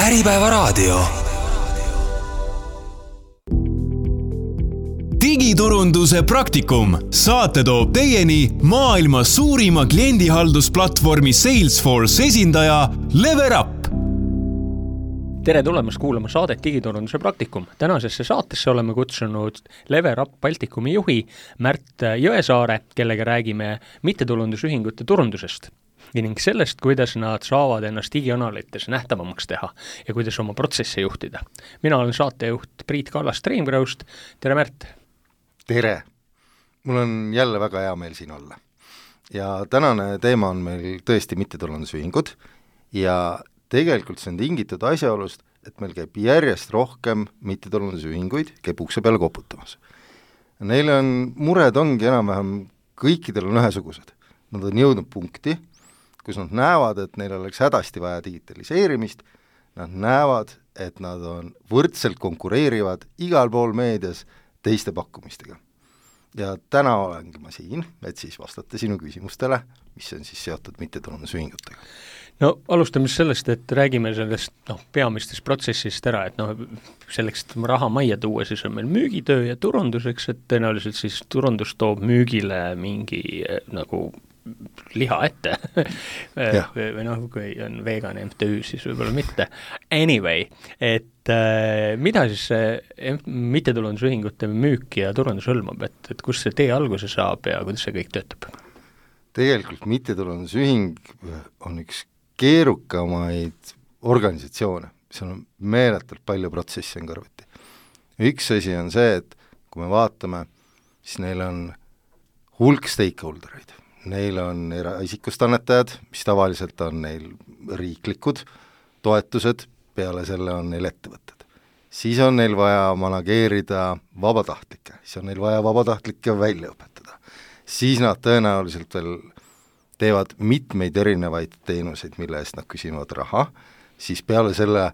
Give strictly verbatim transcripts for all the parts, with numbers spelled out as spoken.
Äripäeva raadio. Digiturunduse praktikum. Saate toob teieni maailma suurima kliendihaldusplatvormi Salesforce esindaja Leverup. Tere tulemast kuulama saadet Digiturunduse praktikum. Tänasesse saatesse oleme kutsunud Leverup Baltikumi juhi Märt Jõesaare, kellega räägime mittetulundusühingute turundusest ning sellest, kuidas nad saavad ennast digianalites nähtavamaks teha ja kuidas oma protsesse juhtida. Mina olen saatejuht Priit Kallas Streamgrowst. Tere Märt! Tere! Mul on jälle väga hea meel siin olla. Ja tänane teema on meil tõesti mittetulundusühingud ja tegelikult see on tingitud asjaolust, et meil käib järjest rohkem mittetulundusühinguid, käib ukse peale koputamas. Neil on mured ongi enam-vähem, kõikidel on ühesugused. Nad on jõudnud punkti, kus nad näevad, et neil oleks hädasti vaja digitaliseerimist, nad näevad, et nad on võrdselt konkureerivad igal pool meedias teiste pakkumistega. Ja täna olengi ma siin, et siis vastata sinu küsimustele, mis on siis seotud mittetulundusühingutega. No alustame sellest, et räägime sellest no, peamistest protsessist ära, et no, selleks, et raha majja tuua, siis on meil müügitöö ja turunduseks, et tõenäoliselt siis turundus toob müügile mingi nagu liha ette või noh, kui on vegan M T Ü, siis võib-olla mitte. Anyway, et äh, mida siis see mittetulundusühingute müük ja turundus hõlmab, et, et kus see tee alguse saab ja kuidas see kõik töötab? Tegelikult mittetulundusühing on üks keerukamaid organisatsioone, seal on meeletult palju protsessi on kõrvuti. Üks asi on see, et kui me vaatame, siis neil on hulk stakeholdereid. Neil on eraisikust annetajad, mis tavaliselt on neil riiklikud toetused, peale selle on neil ettevõtted. Siis on neil vaja manageerida vabatahtlikke, siis on neil vaja vabatahtlikke välja õpetada. Siis nad tõenäoliselt veel teevad mitmeid erinevaid teenuseid, mille eest nad küsivad raha, siis peale selle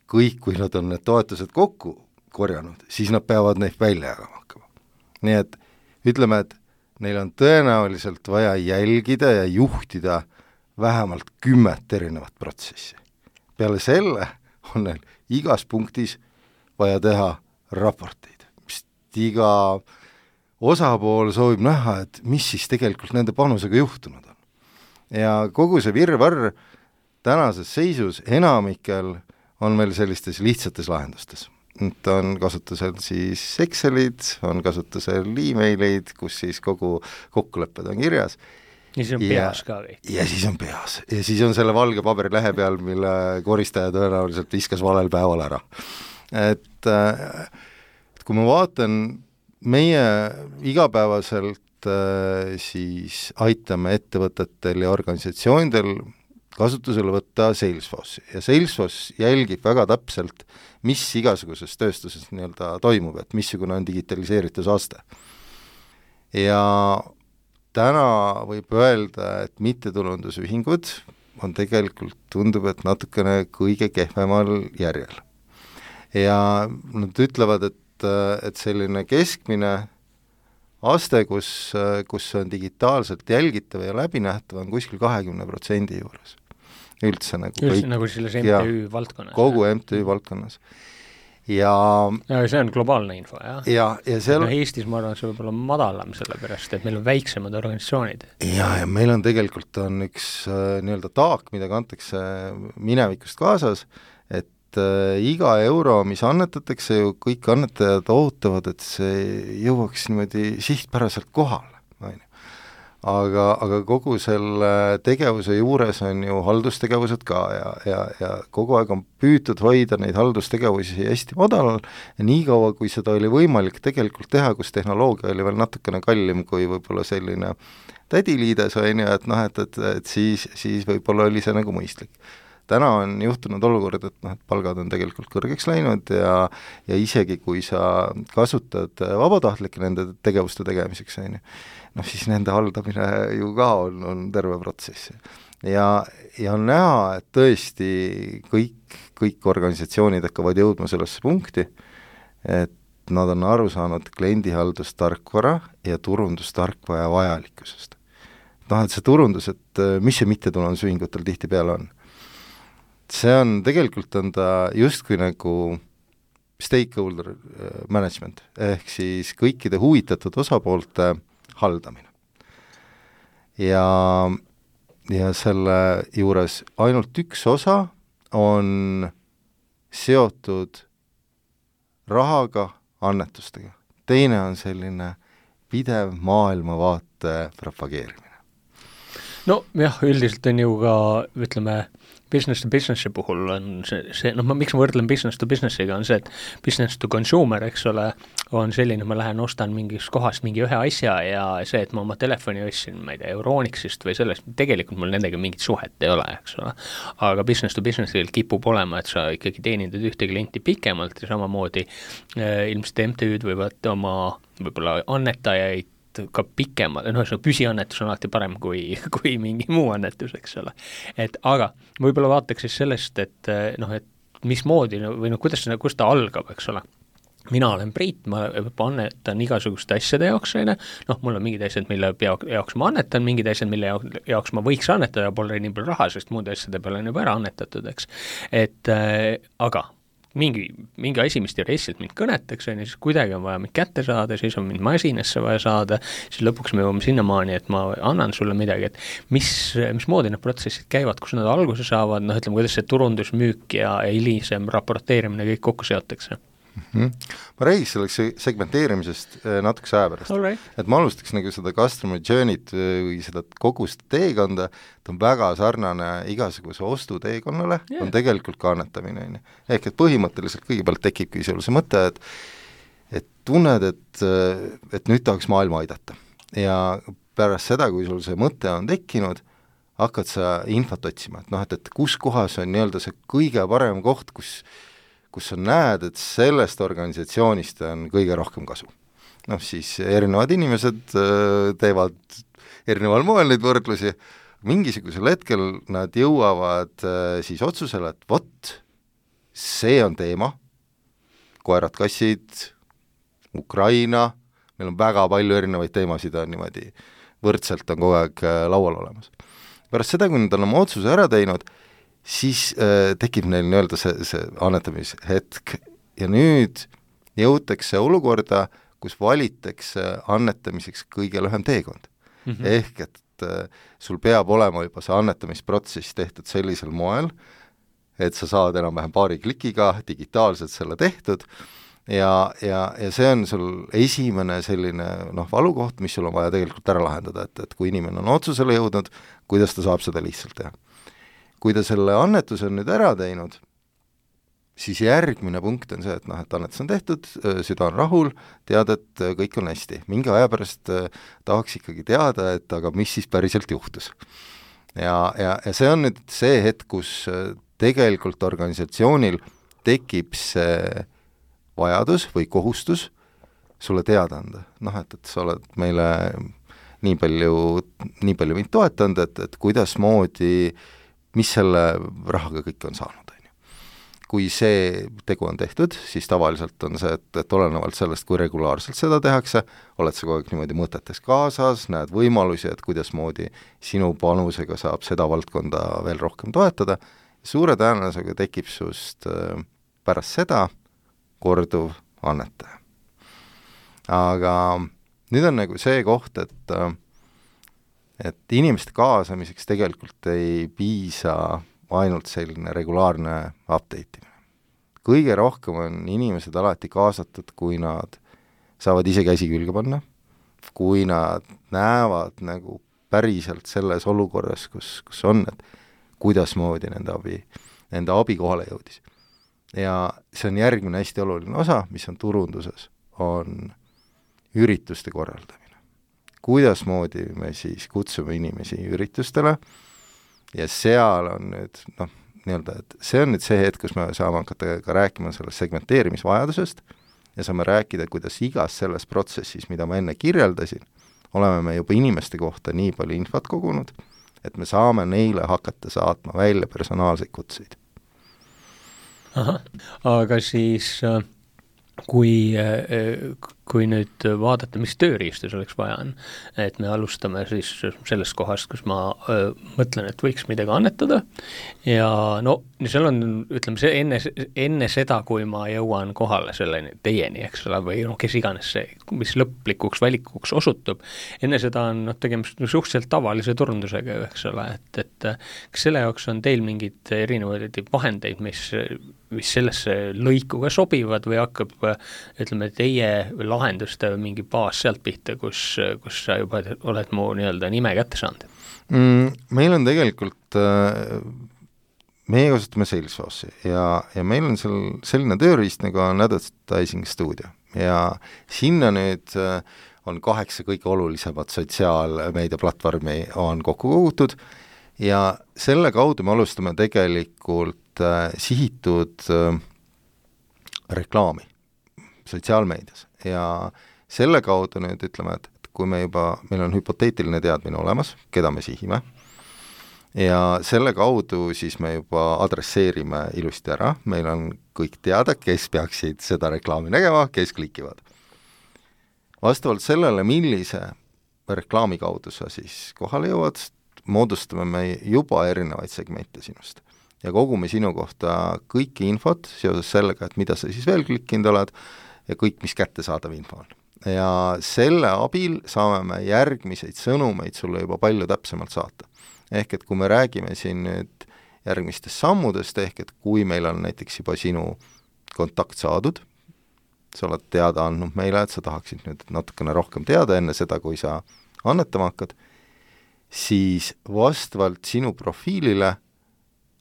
kõik, kui nad on need toetused kokku korjanud, siis nad peavad neid välja jagama hakkama. Nii et ütleme, et neil on tõenäoliselt vaja jälgida ja juhtida vähemalt kümmet erinevat protsessi. Peale selle on neil igas punktis vaja teha raporteid, mis iga osapool soovib näha, et mis siis tegelikult nende panusega juhtunud on. Ja kogu see virvarr tänases seisus enamikel on meil sellistes lihtsates lahendustes. Nüüd on kasutusel siis Excelid, on kasutusel e-mailid, kus siis kogu kokkulepped on kirjas. Ja siis on peas ka või? Ja siis on peas. Ja siis on selle valge paberilehe peal, mille koristaja tõenäoliselt viskas valel päeval ära. Et, et kui ma vaatan, meie igapäevaselt siis aitame ettevõtetel ja organisatsioonidel kasutusele võtta Salesforce. Ja Salesforce jälgib väga täpselt, mis igasuguses tööstuses nii-öelda toimub, et missugune on digitaliseeritusaste. Ja täna võib öelda, et mittetulundusühingud on tegelikult, tundub, et natukene kõige kehvemal järjel. Ja nad ütlevad, et, et selline keskmine aste, kus, kus on digitaalselt jälgitav ja läbinähtav, on kuskil kahekümne protsendi juures. Üldse nagu, Üldse kõik, nagu selles M T Ü valdkonnas. Kogu M T Ü valdkonnas. Ja, ja see on globaalne info, jah? Ja, ja seal... no, Eestis ma arvan, see võib olla madalam selle pärast, et meil on väiksemad organisatsioonid. Ja, ja meil on tegelikult on üks äh, nii-öelda taak, mida kantakse minevikust kaasas, et äh, iga euro, mis annetatakse, ju kõik annetajad ootavad, et see jõuaks niimoodi sihtpäraselt kohale. Aga, aga kogu selle tegevuse juures on ju haldustegevused ka ja, ja, ja kogu aeg on püütud hoida neid haldustegevusi hästi madalal ja nii kaua, kui seda oli võimalik tegelikult teha, kus tehnoloogia oli veel natukene kallim kui võib-olla selline tädiliides, on ju, et noh, et, et, et siis, siis võib-olla oli see nagu mõistlik. Täna on juhtunud olukord, et, noh, et palgad on tegelikult kõrgeks läinud ja, ja isegi kui sa kasutad vabatahtlikke nende tegevuste tegemiseks, on ju, noh siis nende haldamine ju ka on, on terve protsess. Ja, ja on näha, et tõesti kõik, kõik organisatsioonid hakkavad jõudma sellesse punkti, et nad on aru saanud kliendihaldustarkvara ja turundustarkvara vajalikkusest. noh, et see turundus, et mis see mittetulundusühingutel tihtipeale on. see on, tegelikult on ta justkui nagu stakeholder management, ehk siis kõikide huvitatud osapoolte haldamine. Ja, ja selle juures ainult üks osa on seotud rahaga, annetustega. Teine on selline pidev maailmavaate propageerimine. No jah, üldiselt on ju ka, ütleme, business to businessi puhul on see, see noh, ma, miks ma võrdlen business to businessiga, on see, et business to consumer, eks ole, on selline, ma lähen ostan mingist kohast mingi ühe asja ja see, et ma oma telefoni ostsin, ma ei tea, Euronixist või sellest, tegelikult mul nendega mingit suhet ei ole, eks ole. Aga business to businessil kipub olema, et sa ikkagi teenindad ühte klienti pikemalt ja samamoodi eh, ilmselt M T Ü'd võivad oma võib-olla annetajaid ka pikemalt, noh, püsiannetus on alati parem kui, kui mingi muu annetus, eks ole. Et aga võib-olla vaataks siis sellest, et noh, et mismoodi või noh, kuidas, kuidas ta algab, eks ole. Mina olen Priit, ma annetan igasuguste asjade jaoks, noh, mul on mingid asjad, mille jaoks ma annetan, mingid asjad, mille jaoks ma võiks annetada, pole nii palju raha, sest muud asjade peale on juba ära annetatud, eks. Et äh, aga mingi, mingi asi, mis teoreetiliselt mind kõnetaks, on, siis kuidagi on vaja mind kätte saada, siis on mind masinasse vaja saada, siis lõpuks me jõuame sinnamaani, et ma annan sulle midagi, et mis, mis moodi need protsessid käivad, kus nad alguse saavad, noh, ütleme, kuidas see turundus, müük ja hilisem raporteerimine kõik kokku seotakse. Mm-hmm. Ma räägiks selleks segmenteerimisest natukese aja pärast, right. Et ma alustaks nagu seda customer journey't või seda kogu seda teekonda, ta on väga sarnane igasuguse ostuteekonnale, yeah. On tegelikult ka annetamine. Ehk et põhimõtteliselt kõigepealt tekibki selle see mõte, et, et tunned, et, et nüüd tahaks maailma aidata. Ja pärast seda, kui sul see mõte on tekkinud, hakkad sa infot otsima, et noh, et, et kus kohas on nii-öelda see kõige parem koht, kus kus sa näed, et sellest organisatsioonist on kõige rohkem kasu. Noh, siis erinevad inimesed teevad erineval moel neid võrdlusi, mingisugusel hetkel nad jõuavad siis otsusele, et vot, see on teema, koerad, kassid, Ukraina, meil on väga palju erinevaid teemasid, on niimoodi võrdselt on kogu aeg laual olemas. Pärast seda, kui nad on oma otsuse ära teinud, siis äh, tekib neil nii-öelda see, see annetamishetk ja nüüd jõutakse olukorda, kus valitakse annetamiseks kõige lühem teekond. Mm-hmm. Ehk et äh, sul peab olema juba see annetamisprotsess tehtud sellisel moel, et sa saad enam-vähem paari klikiga digitaalselt selle tehtud ja, ja, ja see on sul esimene selline noh, valukoht, mis sul on vaja tegelikult ära lahendada, et, et kui inimene on otsusele jõudnud, kuidas ta saab seda lihtsalt teha. Kui ta selle annetuse on nüüd ära teinud, siis järgmine punkt on see, et noh, et annetus on tehtud, süda on rahul, tead, et kõik on hästi. Mingi aja pärast tahaks ikkagi teada, et aga mis siis päriselt juhtus. Ja, ja, ja see on nüüd see hetk, kus tegelikult organisatsioonil tekib see vajadus või kohustus sulle teada anda. Noh, et, et sa oled meile nii palju, nii palju mind toetanud, et, et kuidas moodi mis selle rahaga kõik on saanud, on ju. Kui see tegu on tehtud, siis tavaliselt on see, et, et olenevalt sellest, kui regulaarselt seda tehakse, oled sa kogu aeg niimoodi mõtetes kaasas, näed võimalusi, et kuidas moodi sinu panusega saab seda valdkonda veel rohkem toetada, suure tõenäosusega tekib sust pärast seda korduv annetaja. Aga nüüd on nagu see koht, et et inimeste kaasamiseks tegelikult ei piisa ainult selline regulaarne update imine. Kõige rohkem on inimesed alati kaasatud, kui nad saavad ise käsi külge panna, kui nad näevad nagu päriselt selles olukorras, kus, kus on, et kuidas moodi nende abi, nende abi kohale jõudis. Ja see on järgmine hästi oluline osa, mis on turunduses, on ürituste korraldamine. Kuidas moodi me siis kutsume inimesi üritustele ja seal on nüüd, noh, nii-öelda, et see on nüüd see hetk, kus me saame hakata ka rääkima sellest segmenteerimisvajadusest ja saame rääkida, kuidas igas selles protsessis, mida ma enne kirjeldasin, oleme me juba inimeste kohta nii palju infot kogunud, et me saame neile hakata saatma välja personaalseid kutseid. Aha, aga siis kui kui nüüd vaadata, mis tööriistu selleks vaja on, et me alustame siis sellest kohast, kus ma öö, mõtlen, et võiks midagi annetada ja no seal on, ütleme, see enne, enne seda, kui ma jõuan kohale selleni teieni, eks ole, või noh, kes iganes see, mis lõplikuks valikuks osutub, enne seda on noh, tegemist suhteliselt tavalise turundusega, eks ole, et, et kas selle jaoks on teil mingid erinevaid vahendeid, mis, mis sellesse lõikuga sobivad või hakkab, ütleme, teie lahenduste mingi baas sealt pihta, kus, kus sa juba oled mu nii-öelda nime kätte saanud? Mm, meil on tegelikult, meie kasutame Salesforce'i ja, ja meil on seal selline tööriist nagu on Advertising Studio ja sinna nüüd on kaheksa kõige olulisemat sotsiaalmeediaplatvormi on kokku kogutud ja selle kaudu me alustame tegelikult sihitud reklaami sotsiaalmeedias ja selle kaudu nüüd ütleme, et, et kui me juba, meil on hüpoteetiline teadmine olemas, keda me sihime, ja selle kaudu siis me juba adresseerime ilusti ära, meil on kõik teada, kes peaksid seda reklaami nägema, kes klikivad. Vastavalt sellele, millise reklaami kaudu sa siis kohale jõuad, moodustame me juba erinevaid segmente sinust ja kogume sinu kohta kõiki infot seoses sellega, et mida sa siis veel klikkinud oled, ja kõik, mis kättesaadav info on. Ja selle abil saame me järgmiseid sõnumeid sulle juba palju täpsemalt saata. Ehk et kui me räägime siin nüüd järgmistest sammudest, ehk et kui meil on näiteks juba sinu kontakt saadud, sa oled teada andnud meile, et sa tahaksid nüüd natukene rohkem teada enne seda, kui sa annetama hakkad, siis vastavalt sinu profiilile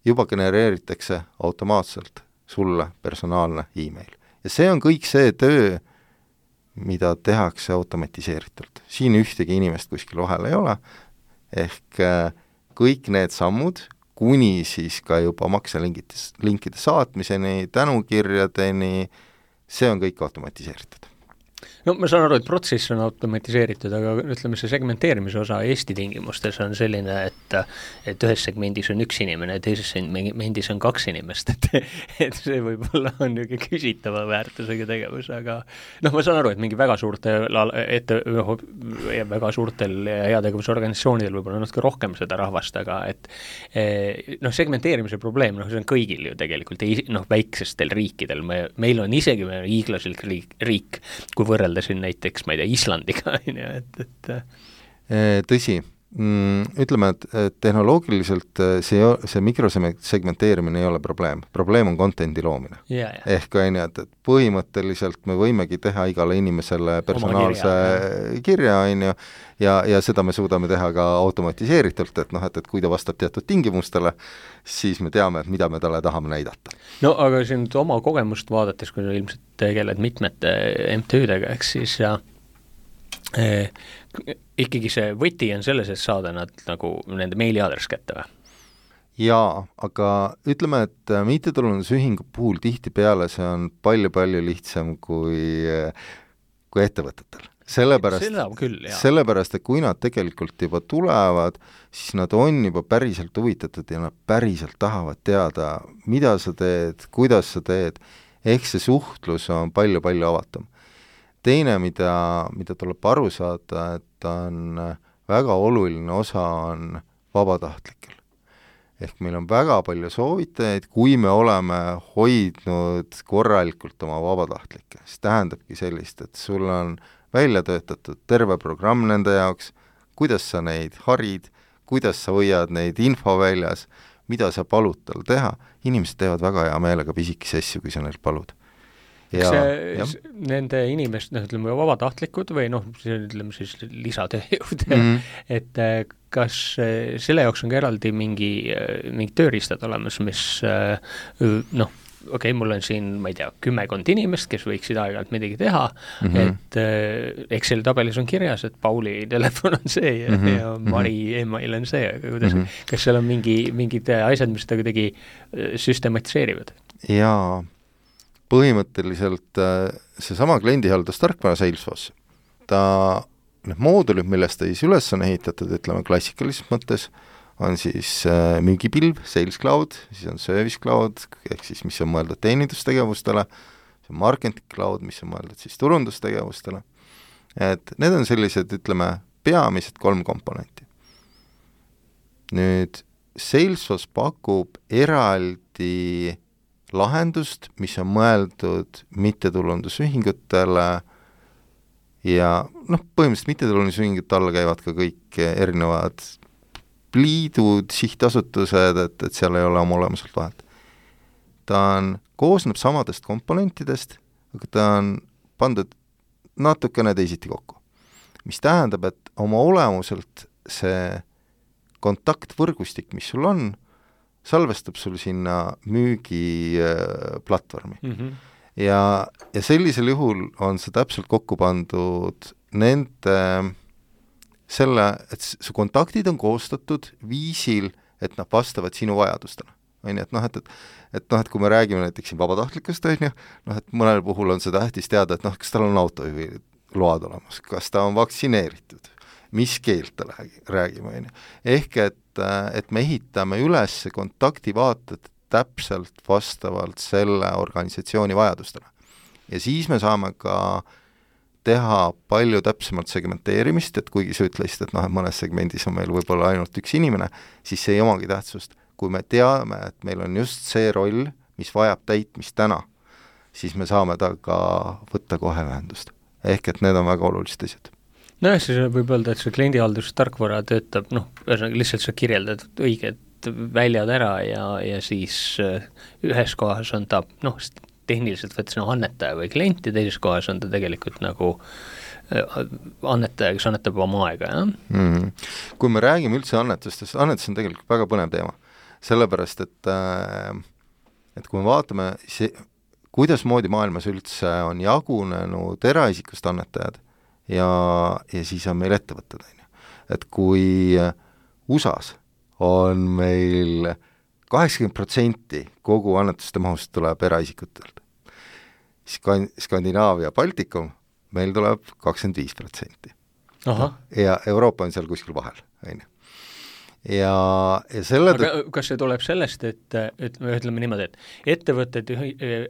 juba genereeritakse automaatselt sulle personaalne e-mail. Ja see on kõik see töö, mida tehakse automatiseeritult. Siin ühtegi inimest kuskil vahel ei ole, ehk kõik need sammud, kuni siis ka juba makselinkide saatmiseni, tänukirjadeni, see on kõik automatiseeritud. No ma saan aru, et protsess on automatiseeritud, aga ütleme, see segmenteerimise osa Eesti tingimustes on selline, et, et ühes segmendis on üks inimene ja teises segmendis on kaks inimest, et, et see võib-olla on niisugune küsitava väärtusega tegevus, aga noh, ma saan aru, et mingi väga suurte ette, väga suurtel heategevusorganisatsioonidel võib-olla natuke rohkem seda rahvast, aga et noh, segmenteerimise probleem, noh, see on kõigil ju tegelikult, noh, väiksestel riikidel, me, meil on isegi me hiiglaslik riik, riik, kui võrreldasin näiteks, ma ei tea, Islandiga, et, et tõsi, ütleme, et tehnoloogiliselt see, see mikrosegmenteerimine ei ole probleem. Probleem on contenti loomine. Yeah, yeah. Ehk on ju, et põhimõtteliselt me võimegi teha igale inimesele personaalse kirja, kirja on ju, ja, ja seda me suudame teha ka automatiseeritult, et noh, et, et kui ta vastab teatud tingimustele, siis me teame, et mida me talle tahame näidata. No aga siin oma kogemust vaadates, kui sa ilmselt tegeled mitmete M T Ü-dega, eks siis ja eh, ikkagi see võti on selles, et saada nad nagu nende meiliaadress kätte või? Jaa, aga ütleme, et mittetulundusühingu puhul tihtipeale see on palju-palju lihtsam kui, kui ettevõtetel. Sellepärast, küll, sellepärast, et kui nad tegelikult juba tulevad, siis nad on juba päriselt huvitatud ja nad päriselt tahavad teada, mida sa teed, kuidas sa teed, ehk see suhtlus on palju-palju avatum. Teine, mida, mida tuleb aru saada, et on väga oluline osa on vabatahtlikel. Ehk meil on väga palju soovitajaid, kui me oleme hoidnud korralikult oma vabatahtlikke, siis tähendabki sellist, et sul on välja töötatud terve programm nende jaoks, kuidas sa neid harid, kuidas sa hoiad neid info väljas, mida sa palud tal teha, inimesed teevad väga hea meelega pisikesi asju, kui sa neil palud. Ja, see, ja. Nende inimest, noh, ütleme, vabatahtlikud või noh, ütleme siis lisatööjõud, mm -hmm. et kas selle jaoks on ka eraldi mingi, mingi tööriistad olemas, mis noh, okei okay,, mul on siin, ma ei tea, kümmekond inimest, kes võiksid aeg-ajalt midagi teha, mm -hmm. et äh, Exceli tabelis on kirjas, et Pauli telefon on see ja, mm -hmm. ja Mari email on see, aga kuidas, mm -hmm. kas seal on mingi, mingid asjad, mis seda kuidagi süstematiseerivad? Jaa, põhimõtteliselt seesama kliendihaldustarkvara Salesforce, ta, need moodulid, millest ta siis üles on ehitatud, ütleme klassikalises mõttes, on siis äh, müügipilv, Sales Cloud, siis on Service Cloud, ehk siis mis on mõeldud teenindustegevustele, see on marketing cloud, mis on mõeldud siis turundustegevustele, et need on sellised, ütleme, peamised kolm komponenti. Nüüd Salesforce pakub eraldi lahendust, mis on mõeldud mittetulundusühingutele ja noh, põhimõtteliselt mittetulundusühingute alla käivad ka kõik erinevad liidud, sihtasutused, et, et seal ei ole oma olemuselt vahet. Ta on, koosneb samadest komponentidest, aga ta on pandud natukene teisiti kokku. Mis tähendab, et oma olemuselt see kontaktvõrgustik, mis sul on, salvestab sul sinna müügiplatvormi. Mm-hmm. Ja, ja sellisel juhul on see täpselt kokku pandud nende selle, et su kontaktid on koostatud viisil, et nad vastavad sinu vajadustele. Et noh, et, et, et, noh, et kui me räägime näiteks siin vabatahtlikust, on ju, noh, et mõnel puhul on see tähtis teada, et noh, kas tal on autojuhi load olemas, kas ta on vaktsineeritud, mis keelt ta räägib, on ju. Ehk et, et me ehitame üles kontaktivaated täpselt vastavalt selle organisatsiooni vajadustele. Ja siis me saame ka teha palju täpsemalt segmenteerimist, et kuigi sa ütlesid, et noh, et mõnes segmendis on meil võib-olla ainult üks inimene, siis see ei omagi tähtsust. Kui me teame, et meil on just see roll, mis vajab täitmist täna, siis me saame ta ka võtta kohe ühendust. Ehk et need on väga olulised asjad. No siis võib öelda, et see kliendihaldustarkvara töötab, noh, lihtsalt sa kirjeldad õiged väljad ära ja, ja siis ühes kohas on ta, noh, tehniliselt võttes no, annetaja või klient ja teises kohas on ta tegelikult nagu annetaja, kes annetab oma aega, jah? Mm-hmm. Kui me räägime üldse annetustest, annetus on tegelikult väga põnev teema, sellepärast, et, et kui me vaatame, see, kuidas moodi maailmas üldse on jagunenud eraisikust annetajad ja, ja siis on meil ettevõtted, et kui U S A-s on meil kaheksakümmend protsenti kogu annetuste mahust tuleb eraisikutelt. Skandinaavia, Baltikum, meil tuleb kakskümmend viis protsenti. Ja Euroopa on seal kuskil vahel. Ja, ja selle aga kas see tuleb sellest, et, et me ütleme niimoodi, et ettevõtted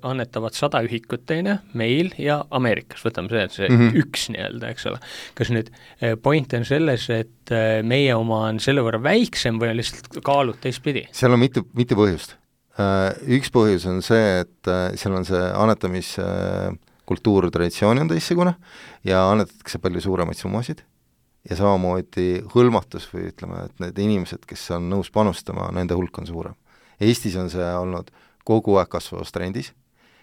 annetavad sada ühikut teine meil ja Ameerikas, võtame see, et see mm-hmm. üks nii-öelda, eks ole. Kas nüüd point on selles, et meie oma on selle võrra väiksem või on lihtsalt kaalud teistpidi? Seal on mitu, mitu põhjust. Üks põhjus on see, et seal on see annetamiskultuur, traditsioon on teistsugune ja annetatakse palju suuremaid summasid. Ja samamoodi hõlmatus või ütleme, et need inimesed, kes on nõus panustama, nende hulk on suurem. Eestis on see olnud kogu aeg kasvavas trendis,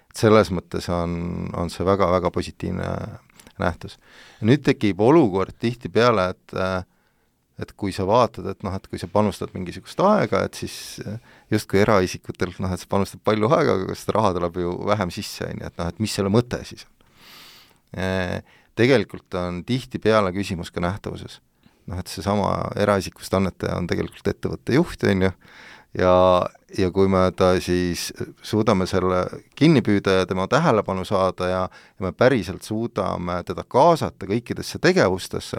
et selles mõttes on, on see väga-väga positiivne nähtus. Ja nüüd tekib olukord tihti peale, et, et kui sa vaatad, et noh, et kui sa panustad mingisugust aega, et siis justkui eraisikutelt, noh, et sa panustad palju aega, aga kas seda raha tuleb ju vähem sisse, et noh, et mis selle mõte siis on. Tegelikult on tihti peale küsimus ka nähtavuses. Noh, et see sama eraisikust annetaja on tegelikult ettevõtte juht, on ju, ja, ja kui me ta siis suudame selle kinni püüda ja tema tähelepanu saada ja, ja me päriselt suudame teda kaasata kõikidesse tegevustesse,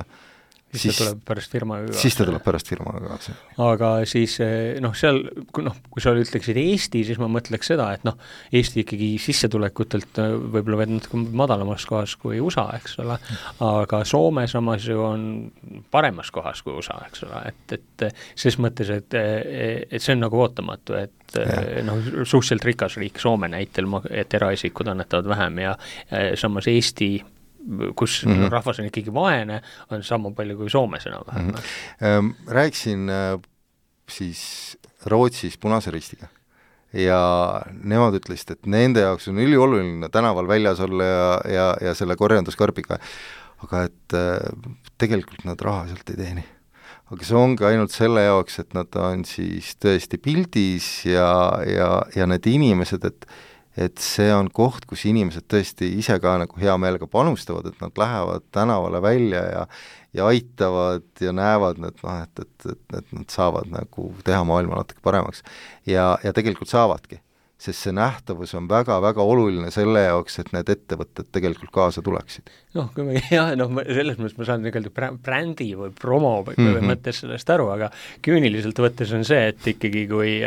siis, siis ta tuleb pärast firmaga kaasa. Siis ta tuleb pärast firmaga kaasa. Aga siis, noh, seal, noh, kui sa ütleksid Eesti, siis ma mõtleks seda, et noh, Eesti ikkagi sissetulekutelt võib-olla veel natuke madalamas kohas kui U S A, eks ole, aga Soome samas ju on paremas kohas kui U S A, eks ole, et, et ses mõttes, et, et see on nagu ootamatu, et ja. noh, suhteliselt rikas riik Soome näitel, et eraisikud annetavad vähem ja samas Eesti kus mm-hmm. rahvas on ikkagi vaene, on sama palju kui Soomes enam vähem. Mm-hmm. Rääksin siis Rootsis Punase Ristiga ja nemad ütlesid, et nende jaoks on ülioluline tänaval väljas olla ja, ja, ja selle korjanduskarbiga, aga et tegelikult nad raha sealt ei teeni. Aga see ongi ainult selle jaoks, et nad on siis tõesti pildis ja, ja, ja need inimesed, et et see on koht, kus inimesed tõesti ise ka nagu hea meelega panustavad, et nad lähevad tänavale välja ja, ja aitavad ja näevad, et, noh, et, et, et, et nad saavad nagu teha maailma natuke paremaks. Ja, ja tegelikult saavadki. sest see nähtavus on väga-väga oluline selle jaoks, et need ettevõtted tegelikult kaasa tuleksid. Noh, kui me, jah, noh, selles mõttes ma saan tegelikult brändi või promo või mm -hmm. mõttes sellest aru, aga küüniliselt võttes on see, et ikkagi kui,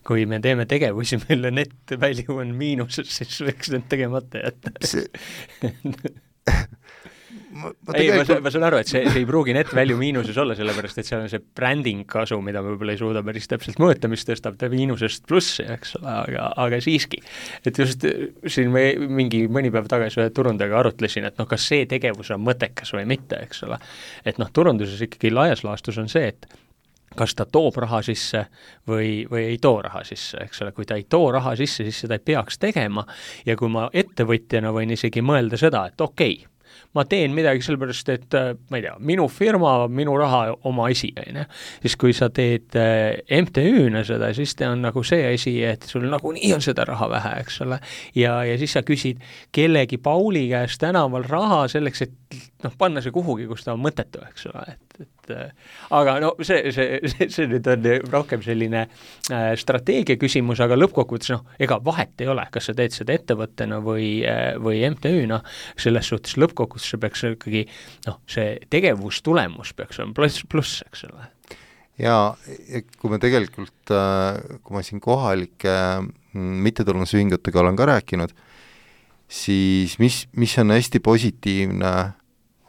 kui me teeme tegevusi, mille net value on miinuses, siis võiks need tegemata jätta. See... Ma, ma, ei, tegelikult... ma, ma saan aru, et see, see ei pruugi net value miinuses olla, sellepärast et seal on see branding kasu, mida me võib-olla ei suuda päris täpselt mõõta, mis tõstab ta miinusest plussi, eks ole, aga, aga siiski. Et just siin me mingi mõni päev tagasi ühe turundajaga arutlesin, et noh, kas see tegevus on mõttekas või mitte, eks ole. Et noh, turunduses ikkagi laias laastus on see, et kas ta toob raha sisse või, või ei too raha sisse, eks ole, kui ta ei too raha sisse, siis seda ei peaks tegema ja kui ma ettevõtjana võin isegi mõelda seda, et okei okay,, ma teen midagi sellepärast, et ma ei tea, minu firma, minu raha oma asi, on. Siis kui sa teed M T Ü-na seda, siis ta on nagu see asi, et sul nagu nii on seda raha vähe, eks ole, ja, ja siis sa küsid kellegi Pauli käest tänaval raha selleks, et noh, panna see kuhugi, kus ta on mõttetu, eks ole, et, et aga no see, see, see, see nüüd on rohkem selline äh, strateegia küsimus, aga lõppkokkuvõttes noh, ega vahet ei ole, kas sa teed seda ettevõttena või, või M T Ü-na, selles suhtes lõppkokkuvõttes see peaks ikkagi, noh, see tegevustulemus peaks olema pluss, pluss, eks ole. Ja kui me tegelikult, kui ma siin kohalike mittetulundusühingutega olen ka rääkinud, siis mis, mis on hästi positiivne,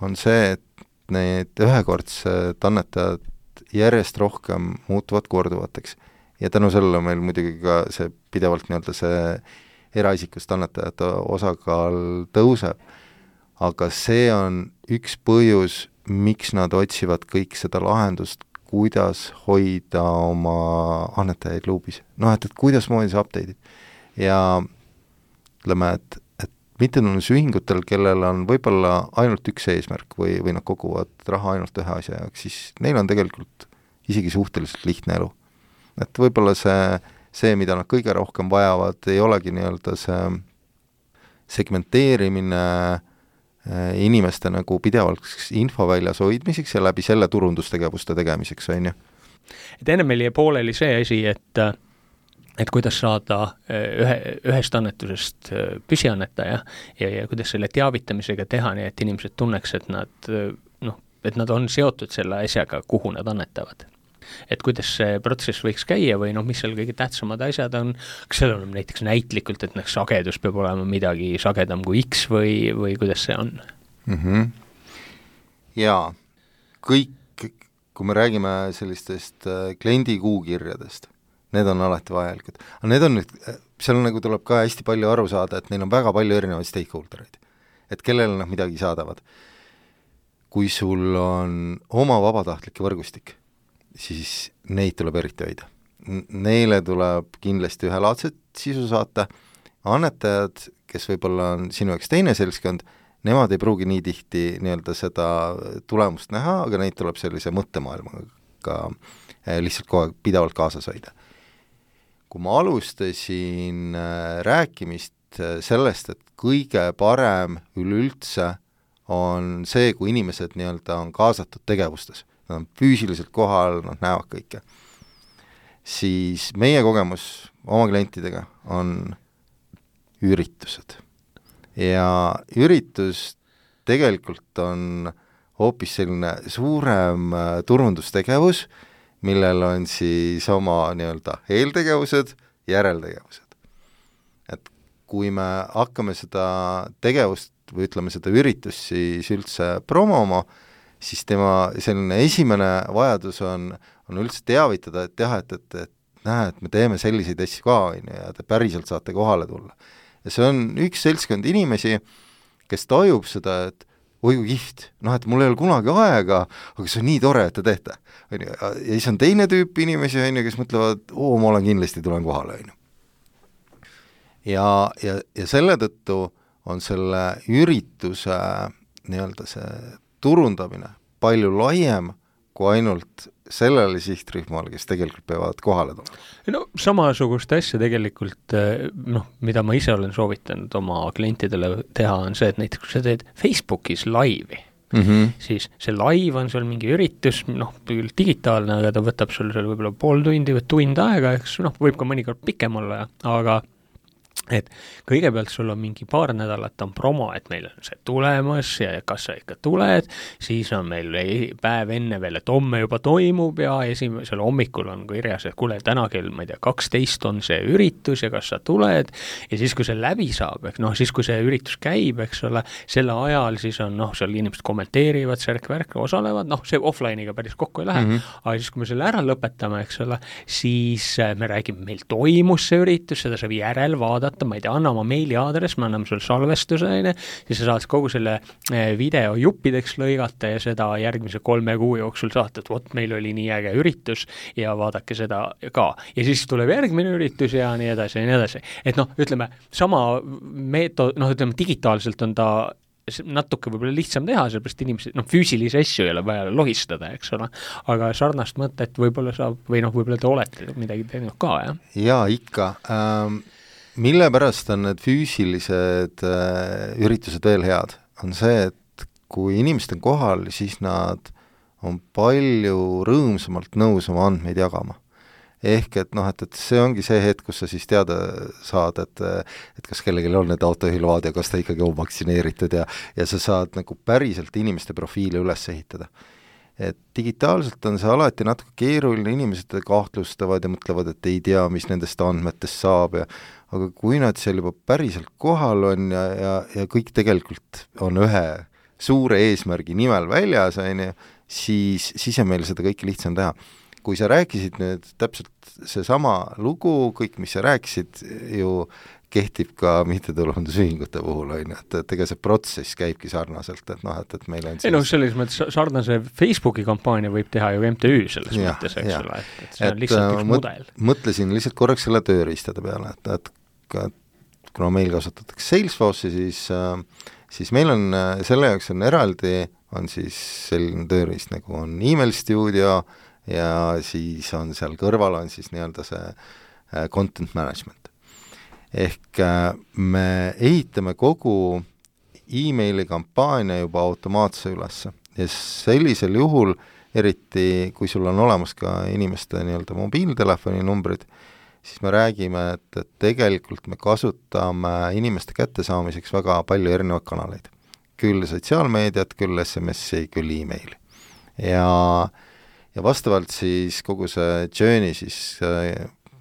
on see, et need ühekordsed annetajad järjest rohkem muutuvad korduvateks. Ja tänu sellele meil muidugi ka see pidevalt nii-öelda see eraisikust annetajate osakaal tõuseb. Aga see on üks põhjus, miks nad otsivad kõik seda lahendust, kuidas hoida oma annetajaid luubis. Noh, et, et kuidas moodi see update'id. Ja ütleme, et, et mittetulundusühingutel, kellel on võib-olla ainult üks eesmärk või, või nad koguvad raha ainult ühe asja jaoks, siis neil on tegelikult isegi suhteliselt lihtne elu. Et võib-olla see, see, mida nad kõige rohkem vajavad, ei olegi nii-öelda see segmenteerimine inimeste nagu pidevalt info väljas hoidmiseks ja läbi selle turundustegevuste tegemiseks, on ju. Et enne meil jäi pooleli see asi, et, et kuidas saada ühe, ühest annetusest püsiannetaja ja, ja kuidas selle teavitamisega teha, nii et inimesed tunneks, et nad, noh, et nad on seotud selle asjaga, kuhu nad annetavad. Et kuidas see protsess võiks käia või noh, mis seal kõige tähtsamad asjad on, kas seal on näiteks näitlikult, et noh, sagedus peab olema midagi sagedam kui X või, või kuidas see on? Mm-hmm. Jaa, kõik, kui me räägime sellistest kliendi kuukirjadest, need on alati vajalikud. Aga need on nüüd, seal nagu tuleb ka hästi palju aru saada, et neil on väga palju erinevaid stakeholdereid, et kellele nad midagi saadavad. Kui sul on oma vabatahtlike võrgustik, siis neid tuleb eriti hoida. Neile tuleb kindlasti ühelaadset sisu saata, annetajad, kes võib-olla on sinu jaoks teine seltskond, nemad ei pruugi nii tihti nii-öelda seda tulemust näha, aga neid tuleb sellise mõttemaailmaga lihtsalt kogu aeg pidevalt kaasas hoida. Kui ma alustasin rääkimist sellest, et kõige parem üleüldse on see, kui inimesed nii-öelda on kaasatud tegevustes, nad on füüsiliselt kohal, nad näevad kõike, siis meie kogemus oma klientidega on üritused. Ja üritus tegelikult on hoopis selline suurem turundustegevus, millel on siis oma nii-öelda eeltegevused, järeltegevused. Et kui me hakkame seda tegevust või ütleme seda üritust siis üldse promoma, siis tema selline esimene vajadus on, on üldse teavitada, et jah, et, et, et näe, et me teeme selliseid asju ka, ja te päriselt saate kohale tulla. Ja see on üks seltskond inimesi, kes tajub seda, et oi kui kihvt, noh, et mul ei ole kunagi aega, aga see on nii tore, et te teete. Ja siis on teine tüüp inimesi, kes mõtlevad, oo, ma olen kindlasti, tulen kohale. Ja, ja, ja selle tõttu on selle ürituse nii-öelda see turundamine palju laiem kui ainult sellele sihtrühmale, kes tegelikult peavad kohale tulema. No samasugust asja tegelikult, noh, mida ma ise olen soovitanud oma klientidele teha, on see, et näiteks kui sa teed Facebookis laivi, mm-hmm. siis see live on sul mingi üritus, noh, digitaalne, aga ta võtab sul seal võib-olla pool tundi või tund aega, eks noh, võib ka mõnikord pikem olla, aga et kõigepealt sul on mingi paar nädalat on promo, et meil on see tulemas ja kas sa ikka tuled, siis on meil päev enne veel, et homme juba toimub ja esimesel hommikul on kirjas, et kuule, täna kell, ma ei tea, kaksteist on see üritus ja kas sa tuled ja siis, kui see läbi saab, eks noh, siis kui see üritus käib, eks ole, selle ajal siis on noh, seal inimesed kommenteerivad, särk-värk, osalevad, noh, see offline'iga päris kokku ei lähe, mm -hmm. aga siis, kui me selle ära lõpetame, eks ole, siis me räägime, meil toimus see üritus, seda saab järel vaadata, ma ei tea, anna oma meiliaadress, me anname sulle salvestuse, siis sa saad kogu selle video juppideks lõigata ja seda järgmise kolme kuu jooksul saata, et vot meil oli nii äge üritus ja vaadake seda ka. Ja siis tuleb järgmine üritus ja nii edasi ja nii edasi. Et noh, ütleme, sama meetod, noh, ütleme, digitaalselt on ta natuke võib-olla lihtsam teha, sellepärast inimesed, noh, füüsilisi asju ei ole vaja lohistada, eks ole, aga sarnast mõtet võib-olla saab, või noh, võib-olla te olete midagi teinud ka, jah? Jaa, ikka. Ähm... mille pärast on need füüsilised äh, üritused veel head, on see, et kui inimesed on kohal, siis nad on palju rõõmsamalt nõus oma andmeid jagama. Ehk et noh, et, et see ongi see hetk, kus sa siis teada saad, et, et kas kellelgi on need autohülvad ja kas ta ikkagi on vaktsineeritud ja, ja sa saad nagu päriselt inimeste profiili üles ehitada. Et digitaalselt on see alati natuke keeruline, inimesed kahtlustavad ja mõtlevad, et ei tea, mis nendest andmetest saab ja aga kui nad seal juba päriselt kohal on ja, ja, ja kõik tegelikult on ühe suure eesmärgi nimel väljas, siis, siis on meil seda kõike lihtsam teha. Kui sa rääkisid nüüd täpselt seesama lugu, kõik, mis sa rääkisid, ju kehtib ka mittetulundusühingute puhul, on, et, et ega see protsess käibki sarnaselt, et noh, et, et meil on siis... ei noh, selles mõttes sarnase Facebooki kampaania võib teha ju M T Ü selles ja, mõttes, eks ole, et, et see et, on lihtsalt üks mõt, mudel. Mõtlesin lihtsalt korraks selle tööriistade peale, et, et kuna meil kasutatakse Salesforce'i, siis, siis meil on selle jaoks on eraldi, on siis selline tööriist nagu on email studio ja siis on seal kõrval on siis nii-öelda see content management. Ehk me ehitame kogu emaili kampaania juba automaatse ülesse ja sellisel juhul, eriti kui sul on olemas ka inimeste nii-öelda mobiiltelefoni numbrid, siis me räägime, et, et tegelikult me kasutame inimeste kättesaamiseks väga palju erinevaid kanaleid. Küll sotsiaalmeediat, küll S M S-i, küll e-maili. Ja, ja vastavalt siis kogu see journey siis,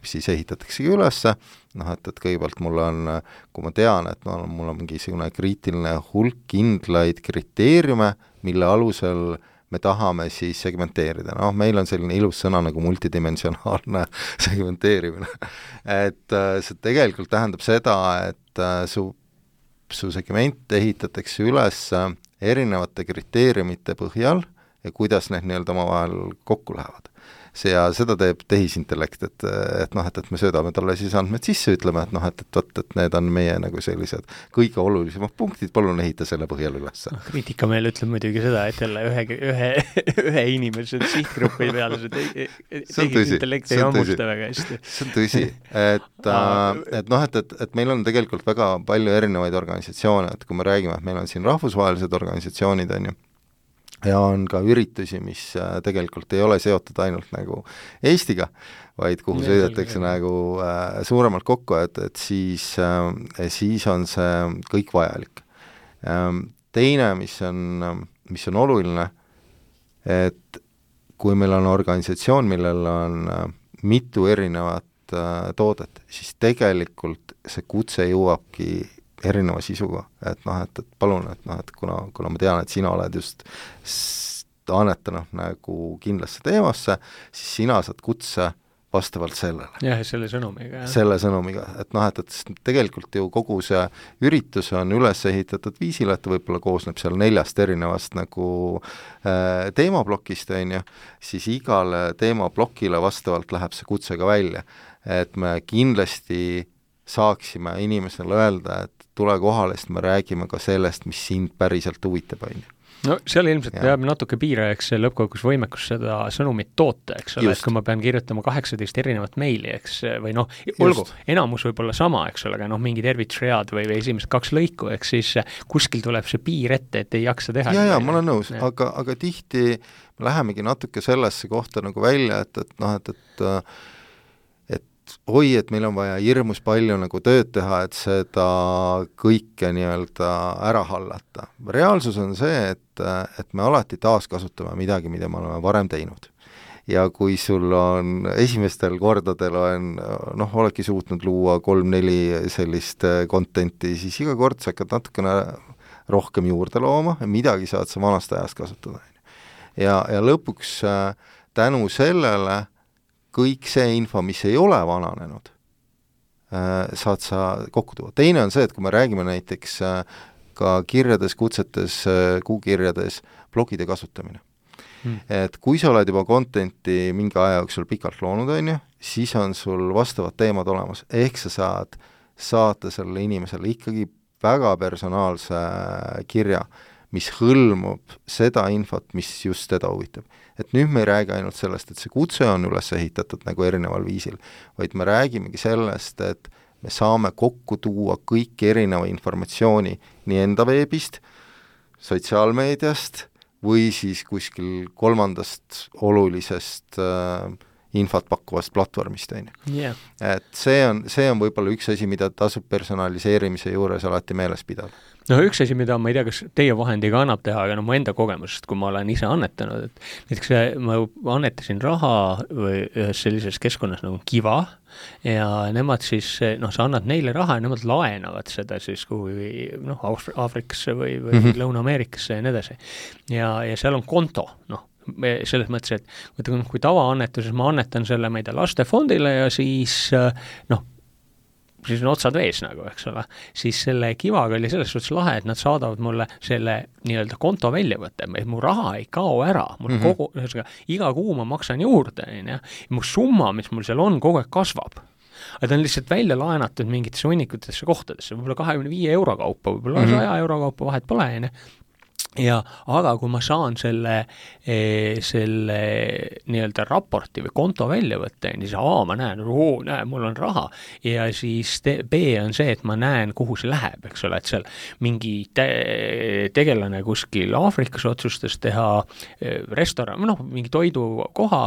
siis ehitataksegi ülesse, noh, et, et kõigepealt mul on, kui ma tean, et no, mul on mingi selline kriitiline hulk kindlaid kriteeriume, mille alusel me tahame siis segmenteerida. Noh, meil on selline ilus sõna nagu multidimensionaalne segmenteerimine. Et see tegelikult tähendab seda, et su, su segment ehitatakse üles erinevate kriteeriumite põhjal ja kuidas need nii-öelda omavahel kokku lähevad. See ja seda teeb tehisintellekt, et, et noh, et, et me söödame talle siis andmed sisse, ütleme, et noh, et, et, et, et need on meie nagu sellised kõige olulisemad punktid, palun ehita selle põhjal üles. Kriitika meil ütleb muidugi seda, et jälle ühe, ühe, ühe inimese sihtgrupi peale see tehisintellekt ei hammusta väga hästi. See on tõsi, et, et noh, et, et, et meil on tegelikult väga palju erinevaid organisatsioone, et kui me räägime, et meil on siin rahvusvahelised organisatsioonid, on ju, ja on ka üritusi, mis tegelikult ei ole seotud ainult nagu Eestiga, vaid kuhu sõidetakse nagu äh, suuremalt kokku, et, et siis, äh, siis on see kõik vajalik. Ähm, teine, mis on, mis on oluline, et kui meil on organisatsioon, millel on äh, mitu erinevat äh, toodet, siis tegelikult see kutse jõuabki erineva sisuga, et noh, et, et palun, et noh, et kuna, kuna ma tean, et sina oled just annetanud nagu kindlasse teemasse, siis sina saad kutse vastavalt sellele. Jah, selle sõnumiga. Jah. Selle sõnumiga, et noh, et, et tegelikult ju kogu see üritus on üles ehitatud viisil, et võib-olla koosneb seal neljast erinevast nagu äh, teemablokist, on ju, siis igale teemablokile vastavalt läheb see kutse ka välja. Et me kindlasti saaksime inimesele öelda, et tule kohale, sest me räägime ka sellest, mis sind päriselt huvitab, on ju. No seal ilmselt ja. Peab natuke piirajaks lõppkogus võimekus seda sõnumit toota, eks ole, et kui ma pean kirjutama kaheksateist erinevat meili, eks, või noh, olgu, enamus võib olla sama, eks ole, aga noh, mingi tervitusread või, või esimesed kaks lõiku, eks siis kuskil tuleb see piir ette, et ei jaksa teha. Ja, ja, ma olen nõus, aga, aga tihti me lähemegi natuke sellesse kohta nagu välja, et, et noh, et, et oi, et meil on vaja hirmus palju nagu tööd teha, et seda kõike nii-öelda ära hallata. Reaalsus on see, et, et me alati taaskasutame midagi, mida me oleme varem teinud. Ja kui sul on esimestel kordadel on, noh, oledki suutnud luua kolm-neli sellist contenti, siis iga kord sa hakkad natukene rohkem juurde looma ja midagi saad sa vanast ajast kasutada. Ja, ja lõpuks tänu sellele kõik see info, mis ei ole vananenud, saad sa kokku tuua. Teine on see, et kui me räägime näiteks ka kirjades, kutsetes, kuukirjades, blogide kasutamine. Hmm. Et kui sa oled juba contenti mingi aja jooksul pikalt loonud, on ju, siis on sul vastavad teemad olemas. Ehk sa saad saata sellele inimesele ikkagi väga personaalse kirja, mis hõlmub seda infot, mis just teda huvitab. Et nüüd me ei räägi ainult sellest, et see kutse on üles ehitatud nagu erineval viisil, vaid me räägimegi sellest, et me saame kokku tuua kõik erineva informatsiooni nii enda veebist, sotsiaalmeediast või siis kuskil kolmandast olulisest äh, infot pakkuvast platvormist. Yeah. Et see on, see on võib-olla üks asi, mida tasub personaliseerimise juures alati meeles pidada. No üks asi, mida ma ei tea, kas teie vahendiga annab teha, aga no mu enda kogemusest, kui ma olen ise annetanud, et näiteks ma annetasin raha või ühes sellises keskkonnas nagu Kiva ja nemad siis, noh, sa annad neile raha ja nemad laenavad seda siis kuhugi, noh, Aafrikasse või, või mm-hmm. Lõuna-Ameerikasse ja nii edasi. Ja, ja seal on konto, noh, selles mõttes, et kui tavaannetuses ma annetan selle meida lastefondile ja siis, noh, siis on otsad vees nagu, eks ole, siis selle Kivaga oli selles suhtes lahe, et nad saadavad mulle selle nii-öelda konto väljavõtte, et mu raha ei kao ära, mul mm-hmm. kogu, ühesõnaga, iga kuu ma maksan juurde, ja mu summa, mis mul seal on, kogu aeg kasvab. Aga ta on lihtsalt välja laenatud mingitesse hunnikutesse kohtadesse, võib-olla kahekümne viie euro kaupa, võib-olla mm-hmm. saja euro kaupa vahet pole, ja ja aga kui ma saan selle, selle nii-öelda raporti või konto välja võtta, siis A, ma näen, oo, näe, mul on raha, ja siis te, B on see, et ma näen, kuhu see läheb, eks ole, et seal mingi te, tegelane kuskil Aafrikas otsustas teha restoran, noh, mingi toidukoha,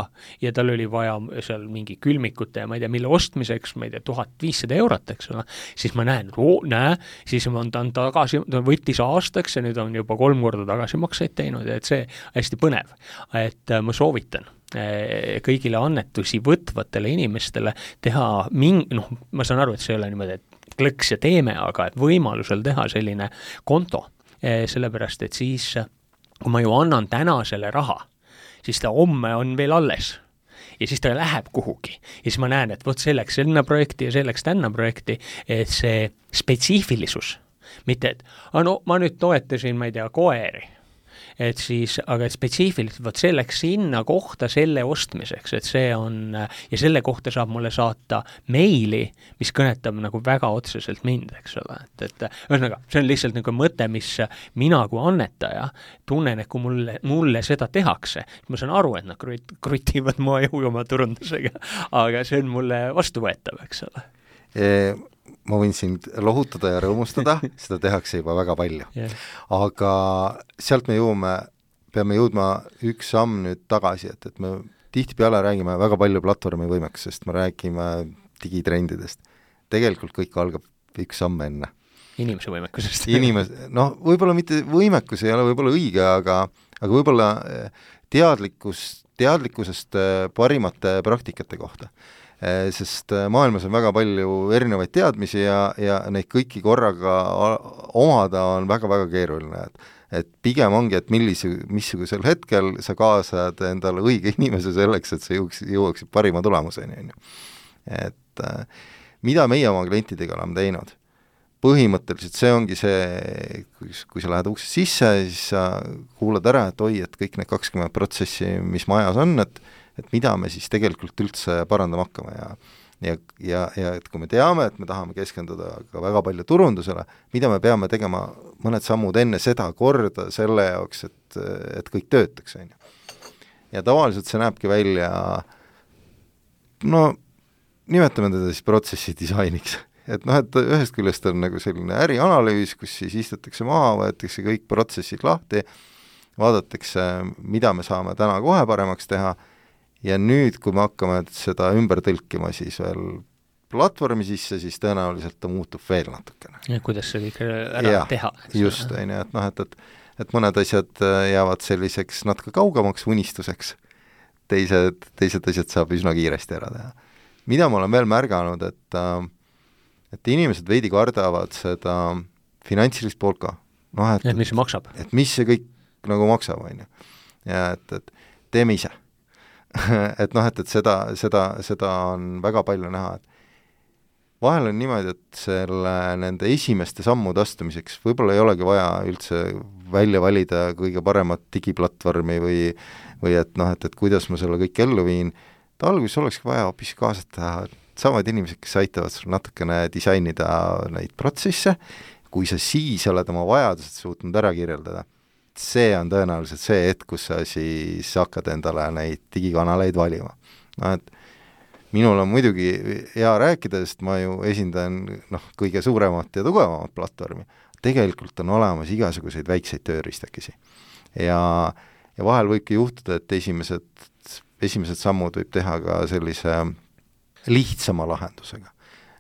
ja tal oli vaja seal mingi külmikute ja ma ei tea, mille ostmiseks, ma ei tea, tuhat viissada eurot, eks ole, siis ma näen, oo, näe, siis on ta on tagasi, ta võttis aastaks ja nüüd on juba kolm korda tagasimakseid teinud, et see hästi põnev. Et ma soovitan kõigile annetusi võtvatele inimestele teha ming-, noh, ma saan aru, et see ei ole niimoodi, et klõks ja teeme, aga et võimalusel teha selline konto, sellepärast, et siis, kui ma ju annan täna selle raha, siis ta homme on veel alles. Ja siis ta läheb kuhugi. Ja siis ma näen, et võt selleks selline projekti ja selleks tänna projekti, et see spetsiifilisus, mitte, et no, ma nüüd toetasin, ma ei tea, koeri, et siis, aga et spetsiifiliselt võt selleks sinna kohta selle ostmiseks, et see on, ja selle kohta saab mulle saata meili, mis kõnetab nagu väga otseselt mind, eks ole, et, et ühesõnaga, see on lihtsalt nagu mõte, mis mina kui annetaja tunnen, et kui mulle, mulle seda tehakse, ma saan aru, et nad krutivad mu jõu oma turundusega, aga see on mulle vastuvõetav, eks ole. E- ma võin sind lohutada ja rõõmustada, seda tehakse juba väga palju. Yeah. Aga sealt me jõuame, peame jõudma üks samm nüüd tagasi, et, et me tihtipeale räägime väga palju platvormi võimekusest, me räägime digitrendidest. Tegelikult kõik algab üks samm enne. Inimese võimekusest. Inimes, noh, võib-olla mitte võimekus ei ole võib-olla õige, aga, aga võib-olla teadlikkus, teadlikkusest parimate praktikate kohta. Sest maailmas on väga palju erinevaid teadmisi ja, ja neid kõiki korraga omada on väga-väga keeruline. Et, et pigem ongi, et millise, missugusel hetkel sa kaasad endale õige inimese selleks, et sa jõuaks, jõuaksid parima tulemuseni. Et mida meie oma klientidega oleme teinud? Põhimõtteliselt see ongi see, kui, kui sa lähed ukse sisse, siis sa kuulad ära, et oi, et kõik need kakskümmend protsessi, mis majas on, et et mida me siis tegelikult üldse parandama hakkame ja, ja, ja, ja et kui me teame, et me tahame keskenduda ka väga palju turundusele, mida me peame tegema mõned sammud enne seda korda selle jaoks, et, et kõik töötaks. Ja tavaliselt see näebki välja, no nimetame teda siis protsessi disainiks. Et noh, et ühest küljest on nagu selline ärianalüüs, kus siis istutakse maha, võetakse kõik protsessid lahti, vaadatakse, mida me saame täna kohe paremaks teha. Ja nüüd, kui me hakkame seda ümber tõlkima, siis veel platvormi sisse, siis tõenäoliselt ta muutub veel natukene. Ja kuidas see kõik ära ja, teha? Just, on ju, et noh, et, et, et mõned asjad jäävad selliseks natuke kaugemaks unistuseks, teised, teised asjad saab üsna kiiresti ära teha. Mida ma olen veel märganud, et, et inimesed veidi kardavad seda finantsilist poolt ka. No, et, et mis see maksab? Et mis see kõik nagu maksab, on ju. Ja et, et teeme ise. et noh, et, et seda, seda, seda on väga palju näha, et vahel on niimoodi, et selle nende esimeste sammude astumiseks võib-olla ei olegi vaja üldse välja valida kõige paremat digiplatvormi või, või et noh, et, et kuidas ma selle kõik ellu viin. Ta alguses olekski vaja hoopis kaasata samad inimesed, kes aitavad sul natukene disainida neid protsesse, kui sa siis oled oma vajadused suutnud ära kirjeldada. See on tõenäoliselt see hetk, kus sa siis hakkad endale neid digikanaleid valima. No, et minul on muidugi hea rääkida, sest ma ju esindan noh, kõige suuremat ja tugevamat platvormi. Tegelikult on olemas igasuguseid väikseid tööriistakesi. Ja, ja vahel võibki juhtuda, et esimesed, esimesed sammud võib teha ka sellise lihtsama lahendusega.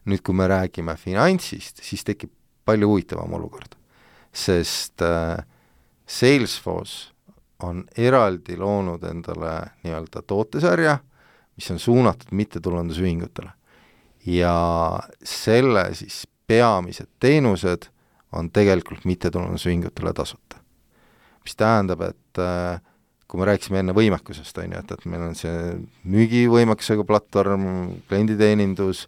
Nüüd, kui me räägime finantsist, siis tekib palju huvitavam olukord. Sest äh, Salesforce on eraldi loonud endale nii-öelda tootesarja, mis on suunatud mittetulundusühingutele. Ja selle siis peamised teenused on tegelikult mittetulundusühingutele tasuta. Mis tähendab, et äh, kui me rääkisime enne võimekusest, on ju, et, et meil on see müügivõimekusega platvorm, klienditeenindus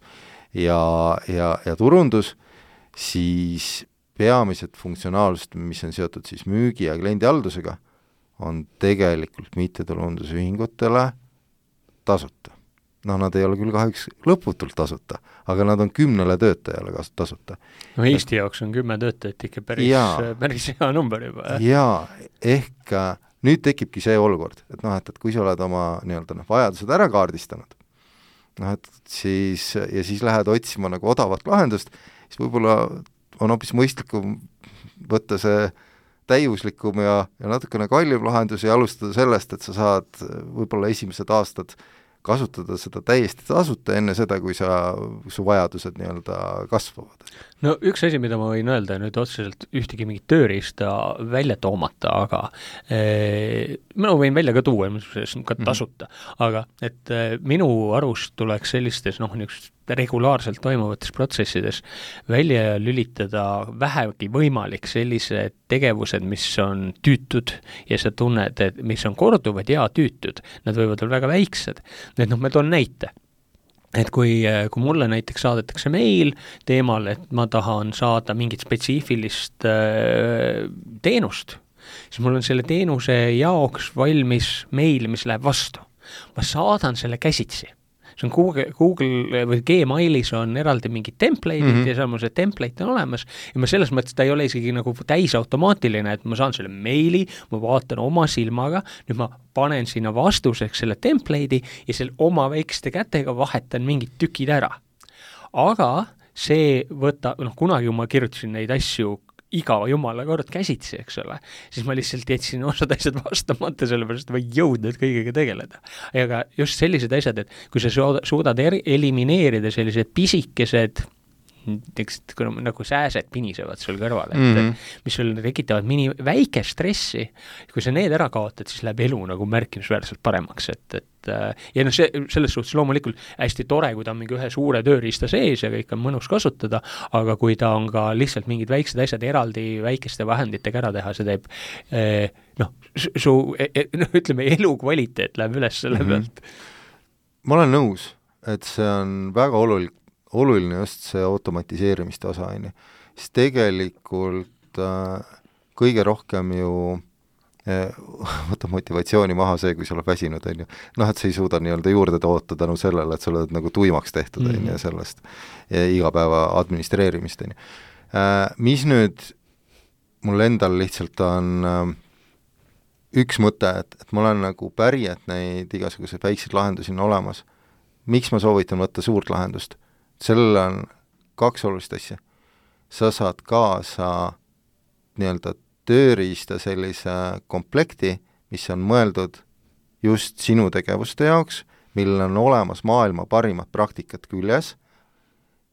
ja, ja, ja turundus, siis peamised funktsionaalsust, mis on seotud siis müügi ja kliendihaldusega, on tegelikult mittetulundusühingutele tasuta. No nad ei ole küll kahjuks lõputult tasuta, aga nad on kümnele töötajale tasuta. No Eesti et, jaoks on kümme töötajat ikka päris, päris hea number juba. Jaa, ehk nüüd tekibki see olukord, et noh, et, et kui sa oled oma nii-öelda noh, vajadused ära kaardistanud, noh, et siis, ja siis lähed otsima nagu odavat lahendust, siis võib-olla on hoopis mõistlikum võtta see täiuslikum ja, ja natukene kallim lahendus ja alustada sellest, et sa saad võib-olla esimesed aastad kasutada seda täiesti tasuta enne seda, kui sa, su vajadused nii-öelda kasvavad. No üks asi, mida ma võin öelda, nüüd otseselt ühtegi mingit tööriista välja toomata, aga eh, ma võin välja ka tuua, ka tasuta, mm-hmm. aga et eh, minu arust tuleks sellistes noh, niisugustes regulaarselt toimuvates protsessides välja lülitada vähegi võimalik sellised tegevused, mis on tüütud ja sa tunned, et mis on korduvad ja tüütud, nad võivad olla väga väiksed. Need noh, ma toon näite. Et kui, kui mulle näiteks saadetakse meil teemal, et ma tahan saada mingit spetsiifilist äh, teenust, siis mul on selle teenuse jaoks valmis meil, mis läheb vastu. Ma saadan selle käsitsi. See on Google, Google või Gmailis on eraldi mingid template'id mm-hmm. ja seal mul see template on olemas ja ma selles mõttes ta ei ole isegi nagu täisautomaatiline, et ma saan selle meili, ma vaatan oma silmaga, nüüd ma panen sinna vastuseks selle template'i ja selle oma väikeste kätega vahetan mingid tükid ära. Aga see võta, noh kunagi ma kirjutasin neid asju iga jumala kord käsitsi, eks ole, siis ma lihtsalt jätsin osad asjad vastamata, sellepärast ma ei jõudnud kõigega tegeleda. Aga just sellised asjad, et kui sa suudad eri, elimineerida sellised pisikesed tekst, nagu sääsed pinisevad sul kõrval, et mm-hmm. mis sul tekitavad mini väike stressi, kui sa need ära kaotad, siis läheb elu nagu märkimisväärselt paremaks, et, et ja noh, see, selles suhtes loomulikult hästi tore, kui ta on mingi ühe suure tööriista sees ja kõik on mõnus kasutada, aga kui ta on ka lihtsalt mingid väiksed asjad eraldi väikeste vahenditega ära teha, see teeb eh, noh, su no, ütleme, elukvaliteet läheb üles selle mm-hmm. pealt. Ma olen nõus, et see on väga oluline oluline just see automatiseerimiste osa, on ju. Siis tegelikult äh, kõige rohkem ju äh, võtta motivatsiooni maha see, kui sa oled väsinud, on ju. Noh, et sa ei suuda nii-öelda juurde toota tänu sellele, et sa oled nagu tuimaks tehtud, on ju, sellest ja igapäeva administreerimist, on ju. Äh, mis nüüd mul endal lihtsalt on äh, üks mõte, et, et ma olen nagu päri, et neid igasuguseid väikseid lahendusi on olemas. Miks ma soovitan võtta suurt lahendust? Sellel on kaks olulist asja. Sa saad kaasa nii-öelda tööriista sellise komplekti, mis on mõeldud just sinu tegevuste jaoks, millel on olemas maailma parimad praktikat küljes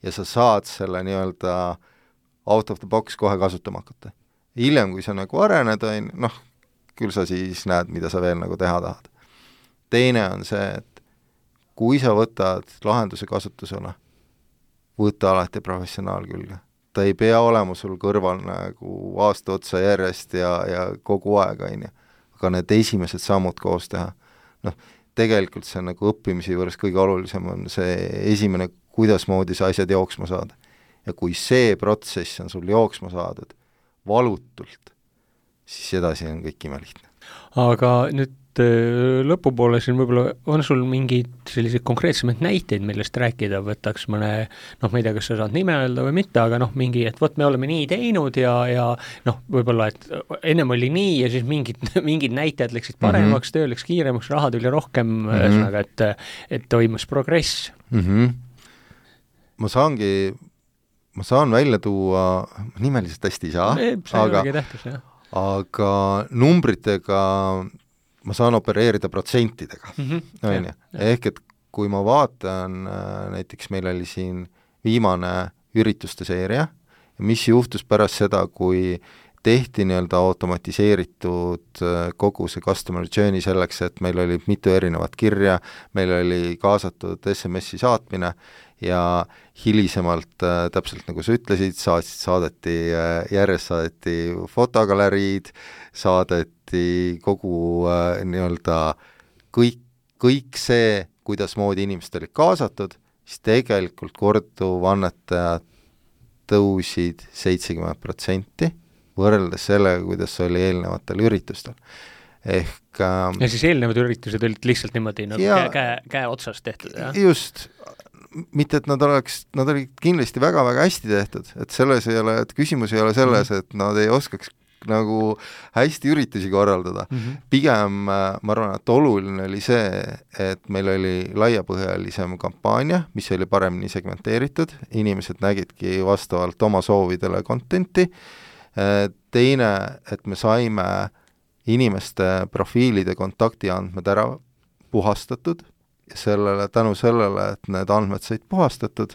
ja sa saad selle nii-öelda out of the box kohe kasutama hakata. Hiljem, kui sa nagu arened, on, noh, küll sa siis näed, mida sa veel nagu teha tahad. Teine on see, et kui sa võtad lahenduse kasutusele, võta alati professionaal külge. Ta ei pea olema sul kõrval nagu aasta otsa järjest ja, ja kogu aeg, on ju. Aga need esimesed sammud koos teha. Noh, tegelikult see nagu õppimise juures kõige olulisem on see esimene, kuidas moodi sa asjad jooksma saada. Ja kui see protsess on sul jooksma saadud valutult, siis edasi on kõik imelihtne. Aga nüüd lõpupoole siin võib-olla on sul mingid sellised konkreetsemaid näiteid, millest rääkida, võtaks mõne, noh, ma ei tea, kas sa saad nime öelda või mitte, aga noh, mingi, et võt, me oleme nii teinud ja, ja noh, võib-olla, et ennem oli nii ja siis mingid, mingid näitajad läksid paremaks, mm-hmm. töö läks kiiremaks, raha tuli rohkem, mm-hmm. ühesõnaga, et, et toimus progress. Mm-hmm. Ma saangi, ma saan välja tuua, nimeliselt hästi ei saa, e, aga, tähtis, aga numbritega ma saan opereerida protsentidega, mm-hmm. on ju. Ehk et kui ma vaatan, näiteks meil oli siin viimane ürituste seeria, mis juhtus pärast seda, kui tehti nii-öelda automatiseeritud kogu see customer journey selleks, et meil oli mitu erinevat kirja, meil oli kaasatud S M S-i saatmine ja hilisemalt äh, täpselt nagu sa ütlesid, saatsid, saadeti äh, järjest saadeti fotogaleriid, saadeti kogu äh, nii-öelda kõik, kõik see, kuidas moodi inimesed olid kaasatud, siis tegelikult korduvannetajad tõusid seitsekümmend protsenti võrreldes sellega, kuidas oli eelnevatel üritustel. Ehk äh, ja siis eelnevad üritused olid lihtsalt niimoodi nagu ja, käe, käe, käe otsas tehtud, jah? Just, mitte et nad oleks, nad olid kindlasti väga-väga hästi tehtud, et selles ei ole, et küsimus ei ole selles, et nad ei oskaks nagu hästi üritusi korraldada. Mm-hmm. Pigem ma arvan, et oluline oli see, et meil oli laiapõhjalisem kampaania, mis oli paremini segmenteeritud, inimesed nägidki vastavalt oma soovidele contenti. Teine, et me saime inimeste profiilide kontaktiandmed ära puhastatud ja sellele, tänu sellele, et need andmed said puhastatud,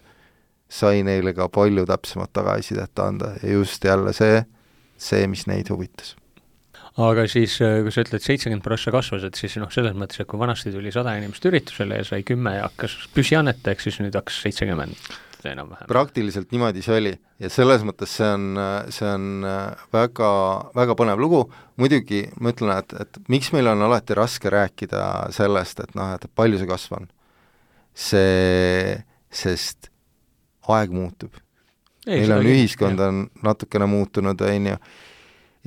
sai neile ka palju täpsemat tagasisidet anda ja just jälle see, see, mis neid huvitas. Aga siis, kui sa ütled seitsekümmend prossa kasvas, et siis noh, selles mõttes, et kui vanasti tuli sada inimest üritusele ja sai kümme ja hakkas püsiannetajaks, siis nüüd hakkas seitsekümmend enam-vähem. Praktiliselt niimoodi see oli ja selles mõttes see on, see on väga, väga põnev lugu. Muidugi ma ütlen, et, et miks meil on alati raske rääkida sellest, et noh, et palju see kasv on. See, sest aeg muutub. Ei, meil on ühiskond on natukene muutunud, on ju,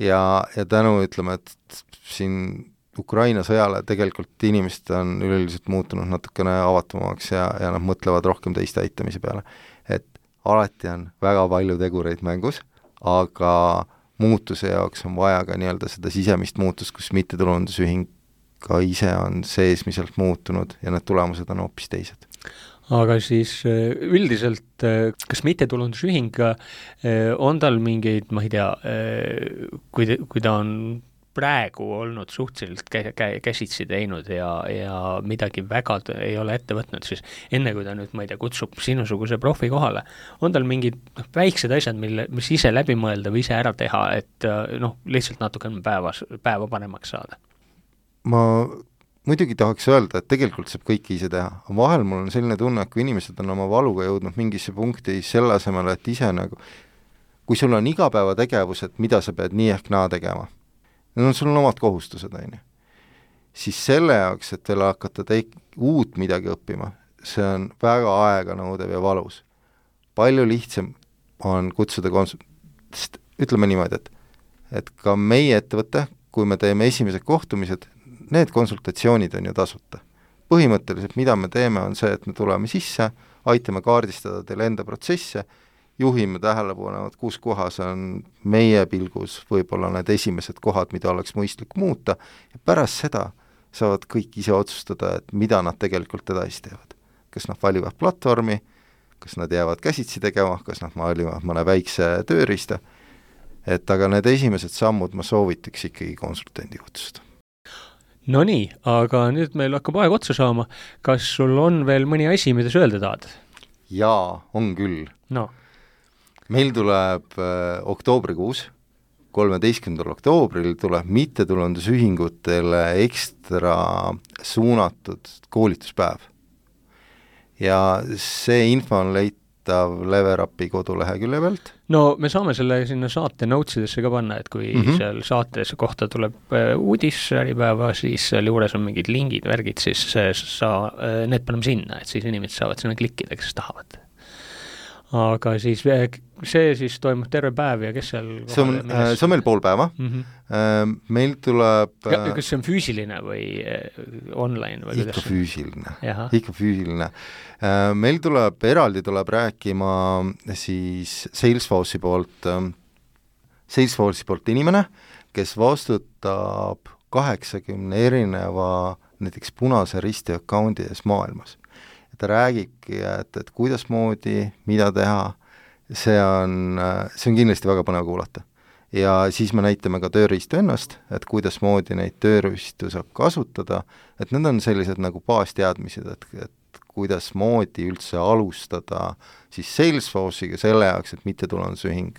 ja, ja tänu ütleme, et siin Ukraina sõjale tegelikult inimesed on üleüldiselt muutunud natukene avatumaks ja, ja nad mõtlevad rohkem teiste aitamise peale. Et alati on väga palju tegureid mängus, aga muutuse jaoks on vaja ka nii-öelda seda sisemist muutust, kus mittetulundusühing ka ise on seesmiselt muutunud ja need tulemused on hoopis teised. Aga siis üldiselt, kas mittetulundusühing on tal mingeid, ma ei tea, kui, kui ta on praegu olnud suhteliselt kä- kä- käsitsi teinud ja, ja midagi väga t- ei ole ette võtnud, siis enne kui ta nüüd, ma ei tea, kutsub sinusuguse profi kohale, on tal mingid noh, väiksed asjad, mille, mis ise läbi mõelda või ise ära teha, et noh, lihtsalt natuke päevas, päeva paremaks saada? Ma muidugi tahaks öelda, et tegelikult saab kõike ise teha. Vahel mul on selline tunne, et kui inimesed on oma valuga jõudnud mingisse punkti selle asemel, et ise nagu, kui sul on igapäevategevused, mida sa pead nii ehk naa tegema, need on sul on omad kohustused, on ju. Siis selle jaoks, et veel hakata teik- uut midagi õppima, see on väga aega nõudev ja valus. Palju lihtsam on kutsuda kons-, ütleme niimoodi, et, et ka meie ettevõte, kui me teeme esimesed kohtumised, need konsultatsioonid on ju tasuta. Põhimõtteliselt, mida me teeme, on see, et me tuleme sisse, aitame kaardistada teile enda protsesse, juhime tähelepanu, et kus kohas on meie pilgus võib-olla need esimesed kohad, mida oleks mõistlik muuta, ja pärast seda saavad kõik ise otsustada, et mida nad tegelikult edasi teevad. Kas nad valivad platvormi, kas nad jäävad käsitsi tegema, kas nad valivad mõne väikse tööriista, et aga need esimesed sammud ma soovitaks ikkagi konsultendi kutsuda. No nii, aga nüüd meil hakkab aeg otsa saama. Kas sul on veel mõni asi, mida sa öelda tahad? jaa, on küll. No. Meil tuleb äh, oktoobrikuus, kolmeteistkümnendal oktoobril tuleb mittetulundusühingutele ekstra suunatud koolituspäev. Ja see info on leitav Leverapi kodulehekülje pealt. No me saame selle sinna saate notesidesse ka panna, et kui mm -hmm. seal saates kohta tuleb uudis Äripäeva, siis seal juures on mingid lingid, värgid, siis sa, need paneme sinna, et siis inimesed saavad sinna klikkida, kes tahavad. Aga siis see siis toimub terve päev ja kes seal see on, see on meil pool päeva. Mm -hmm. Meil tuleb ja, kas see on füüsiline või online? Või ikka kuidas? Füüsiline. Jaha. Ikka füüsiline. Meil tuleb, eraldi tuleb rääkima siis Salesforce'i poolt, Salesforce'i poolt inimene, kes vastutab kaheksakümne erineva näiteks Punase Risti account'i ees maailmas. Ta räägibki, et, et kuidas moodi, mida teha, see on, see on kindlasti väga põnev kuulata. Ja siis me näitame ka tööriistu ennast, et kuidas moodi neid tööriistu saab kasutada, et need on sellised nagu baasteadmised, et, et kuidas moodi üldse alustada siis Salesforce'iga selle jaoks, et mittetulundusühing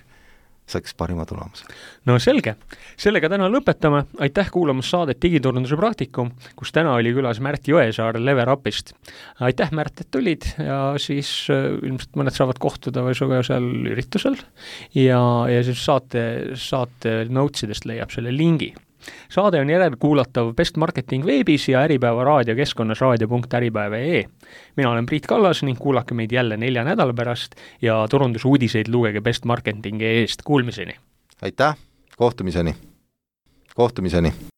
saaks parima tulemuse. No selge. Sellega täna lõpetame. Aitäh kuulamas saadet Digiturunduse praktikum, kus täna oli külas Märt Jõesaar Leverapist. Aitäh, Märt, et tulid ja siis äh, ilmselt mõned saavad kohtuda või suga seal üritusel ja, ja siis saate, saate notesidest leiab selle lingi. Saade on järelkuulatav Best Marketing veebis ja Äripäeva raadiokeskkonnas raadio punkt äripäev punkt ee. Mina olen Priit Kallas ning kuulake meid jälle nelja nädala pärast ja turundusuudiseid lugege Best Marketingi eest. Kuulmiseni! Aitäh! Kohtumiseni! Kohtumiseni!